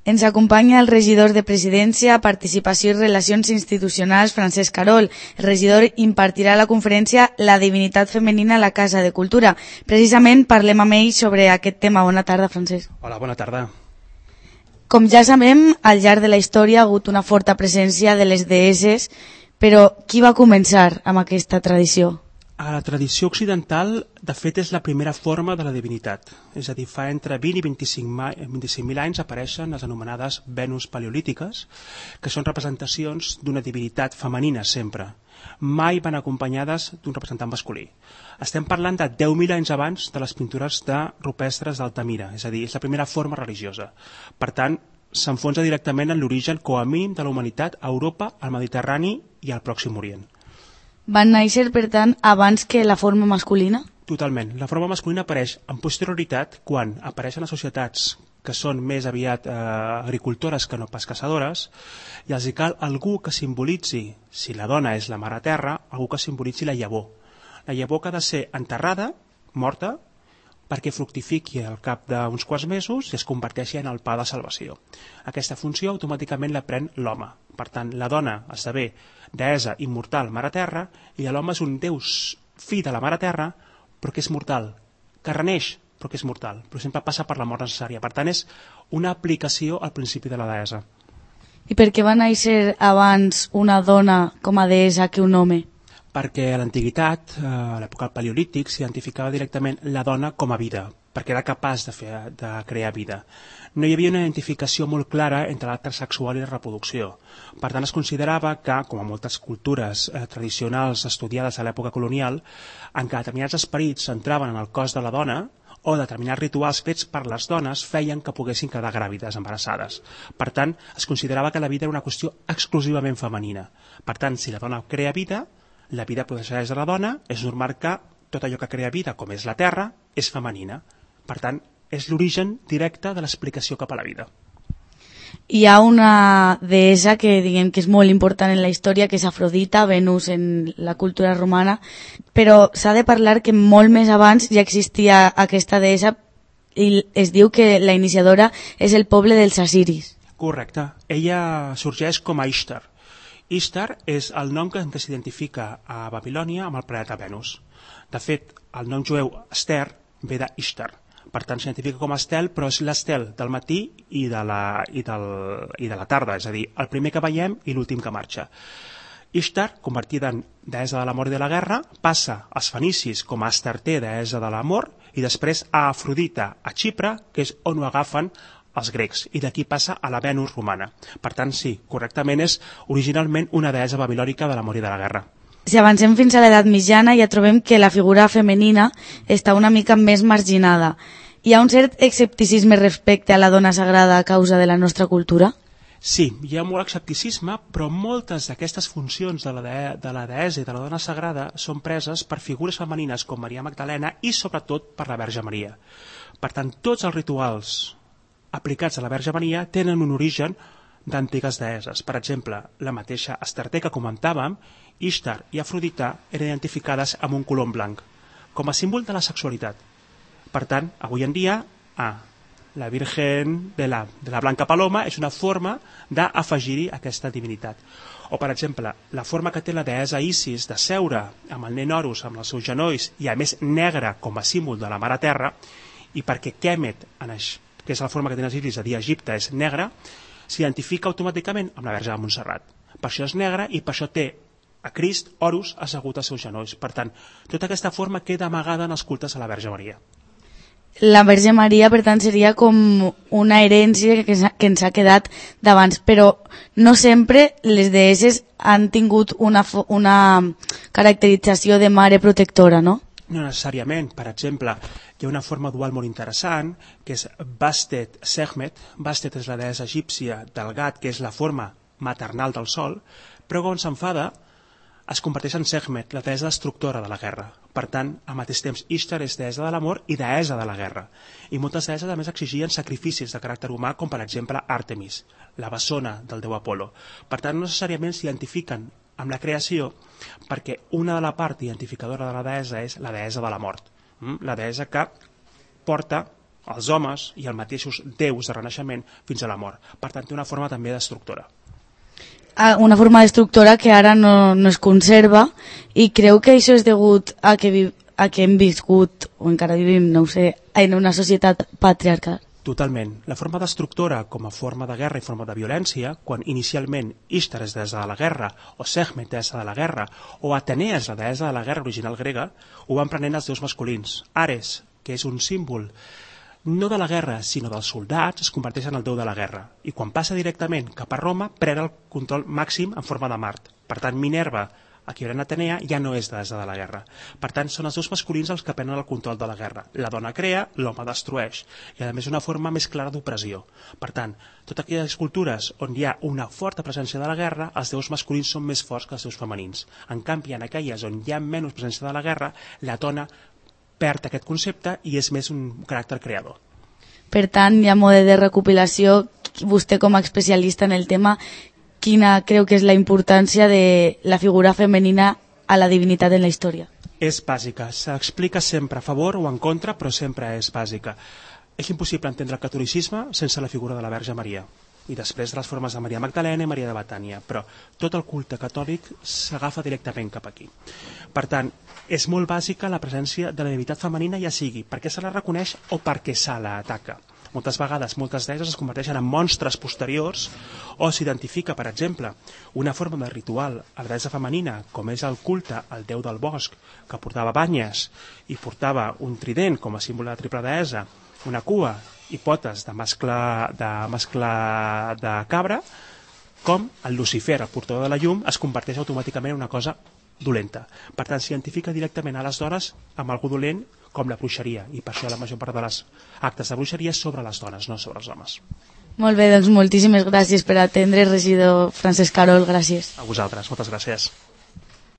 Ens acompanya el regidor de Presidència, Participació i Relacions Institucionals, Francesc Carol. El regidor impartirà la conferència La divinitat femenina a la Casa de Cultura. Precisament parlem amb ell sobre aquest tema. Bona tarda, Francesc. Hola, bona tarda. Com ja sabem, al llarg de la història ha hagut una forta presència de les deesses, però qui va començar amb aquesta tradició? A la tradició occidental, de fet, és la primera forma de la divinitat. És a dir, fa entre 20 i 25.000 anys apareixen les anomenades Venus paleolítiques, que són representacions d'una divinitat femenina sempre. Mai van acompanyades d'un representant masculí. Estem parlant de 10.000 anys abans de les pintures rupestres d'Altamira, és a dir, és la primera forma religiosa. Per tant, s'enfonsa directament en l'origen com a mínim de la humanitat a Europa, al Mediterrani i al Pròxim Orient. Van néixer, per tant, abans que la forma masculina? Totalment. La forma masculina apareix en posterioritat quan apareixen les societats que són més aviat agricultores que no pas caçadores, i els hi cal algú que simbolitzi, si la dona és la mare terra, algú que simbolitzi la llavor. La llavor que ha de ser enterrada, morta, perquè fructifiqui al cap d'uns quants mesos i es converteixi en el pa de salvació. Aquesta funció automàticament la pren l'home. Per tant, la dona esdevé deessa immortal mare terra i l'home és un déu fill de la mare terra però que és mortal, que reneix però que és mortal, però sempre passa per la mort necessària. Per tant, és una aplicació al principi de la deessa. I per què va néixer abans una dona com a deessa que un home? Perquè a l'antiguitat, a l'època del paleolític, s'identificava directament la dona com a vida, perquè era capaç de crear vida. No hi havia una identificació molt clara entre l'acte sexual i la reproducció. Per tant, es considerava que, com a moltes cultures tradicionals estudiades a l'època colonial, en què determinats esperits entraven en el cos de la dona o determinats rituals fets per les dones feien que poguessin quedar gràvides, embarassades. Per tant, es considerava que la vida era una qüestió exclusivament femenina. Per tant, si la dona crea vida, la vida procedeix de la dona, és normal que tot allò que crea vida, com és la terra, és femenina. Per tant, és l'origen directe de l'explicació cap a la vida. Hi ha una deessa que diguem que és molt important en la història, que és Afrodita, Venus en la cultura romana, però s'ha de parlar que molt més abans ja existia aquesta deessa i es diu que la iniciadora és el poble dels assiris. Correcte. Ella sorgeix com a Ishtar. Ishtar és el nom que s'identifica a Babilònia amb el planeta Venus. De fet, el nom jueu Ester ve d'Ishtar. Per tant, s'identifica com a estel, però és l'estel del matí i de la tarda, és a dir, el primer que veiem i l'últim que marxa. Ishtar, convertida en deessa de l'amor i de la guerra, passa als fenicis com a Astarte, deessa de l'amor, i després a Afrodita, a Xipre, que és on ho agafen els grecs, i d'aquí passa a la Venus romana. Per tant, sí, correctament és originalment una deessa babilònica de l'amor i de la guerra. Si avancem fins a l'edat mitjana ja trobem que la figura femenina està una mica més marginada. Hi ha un cert escepticisme respecte a la dona sagrada a causa de la nostra cultura? Sí, hi ha molt escepticisme, però moltes d'aquestes funcions de la deessa i de la dona sagrada són preses per figures femenines com Maria Magdalena i sobretot per la Verge Maria. Per tant, tots els rituals aplicats a la Verge Maria tenen un origen d'antigues deesses. Per exemple, la mateixa Astarte que comentàvem, Ishtar i Afrodita eren identificades amb un colom blanc, com a símbol de la sexualitat. Per tant, avui en dia, la Virgen de la Blanca Paloma és una forma d'afegir-hi aquesta divinitat. O, per exemple, la forma que té la deessa Isis de seure amb el nen Horus amb els seus genolls i, a més, negre com a símbol de la Mare Terra, i perquè Kemet, que és la forma que tenen els Isis a dir Egipte, és negra, s'identifica automàticament amb la Verge de Montserrat. Per això és negra i per això té a Crist, Horus, assegut als seus genolls. Per tant, tota aquesta forma queda amagada en els cultes a la Verge Maria. La Verge Maria, per tant, seria com una herència que ens ha quedat d'abans, però no sempre les deesses han tingut una caracterització de mare protectora, no? No necessàriament. Per exemple, hi ha una forma dual molt interessant, que és Bastet Sekhmet. Bastet és la deessa egípcia del gat, que és la forma maternal del sol, però quan s'enfada es converteix en Sekhmet, la deessa destructora de la guerra. Per tant, al mateix temps, Ishtar és deessa de l'amor i deessa de la guerra. I moltes deesses, a més, exigien sacrificis de caràcter humà, com per exemple Àrtemis, la bessona del déu Apolo. Per tant, no necessàriament s'identifiquen amb la creació, perquè una de la part identificadora de la deessa és la deessa de la mort. La deessa que porta els homes i els mateixos déus de renaixement fins a la mort. Per tant, té una forma també destructora. Una forma destructora que ara no es conserva, i creu que això és degut a que hem viscut, o encara vivim, no ho sé, en una societat patriarcal. Totalment. La forma destructora com a forma de guerra i forma de violència, quan inicialment Ishtar és deessa de la guerra, o Sekhmet deessa de la guerra, o Atenea és la deessa de la guerra original grega, ho van prenent els déus masculins. Ares, que és un símbol no de la guerra, sinó dels soldats, es converteix en el déu de la guerra. I quan passa directament cap a Roma, pren el control màxim en forma de Mart. Per tant, Minerva, equivalent a Atenea, ja no és deessa de la guerra. Per tant, són els déus masculins els que prenen el control de la guerra. La dona crea, l'home destrueix. I a més una forma més clara d'opressió. Per tant, totes aquelles cultures on hi ha una forta presència de la guerra, els déus masculins són més forts que els déus femenins. En canvi, en aquelles on hi ha menys presència de la guerra, la dona perd aquest concepte i és més un caràcter creador. Per tant, i a mode de recopilació, vostè com a especialista en el tema, quina creu que és la importància de la figura femenina a la divinitat en la història? És bàsica, s'explica sempre a favor o en contra, però sempre és bàsica. És impossible entendre el catolicisme sense la figura de la Verge Maria, i després de les formes de Maria Magdalena i Maria de Betània, però tot el culte catòlic s'agafa directament cap aquí. Per tant, és molt bàsica la presència de la divinitat femenina, ja sigui perquè se la reconeix o perquè se la ataca. Moltes vegades, moltes deesses es converteixen en monstres posteriors, o s'identifica, per exemple, una forma de ritual a la deessa femenina, com és el culte al déu del bosc, que portava banyes i portava un trident com a símbol de la triple deessa, una cua i potes de mascle de cabra, com el Lucifer, el portador de la llum, es converteix automàticament en una cosa dolenta. Per tant, s'identifica directament a les dones amb algú dolent, com la bruixeria, i per això la major part de les actes de bruixeria és sobre les dones, no sobre els homes. Molt bé, doncs moltíssimes gràcies per atendre, regidor Francesc Carol, gràcies. A vosaltres, moltes gràcies.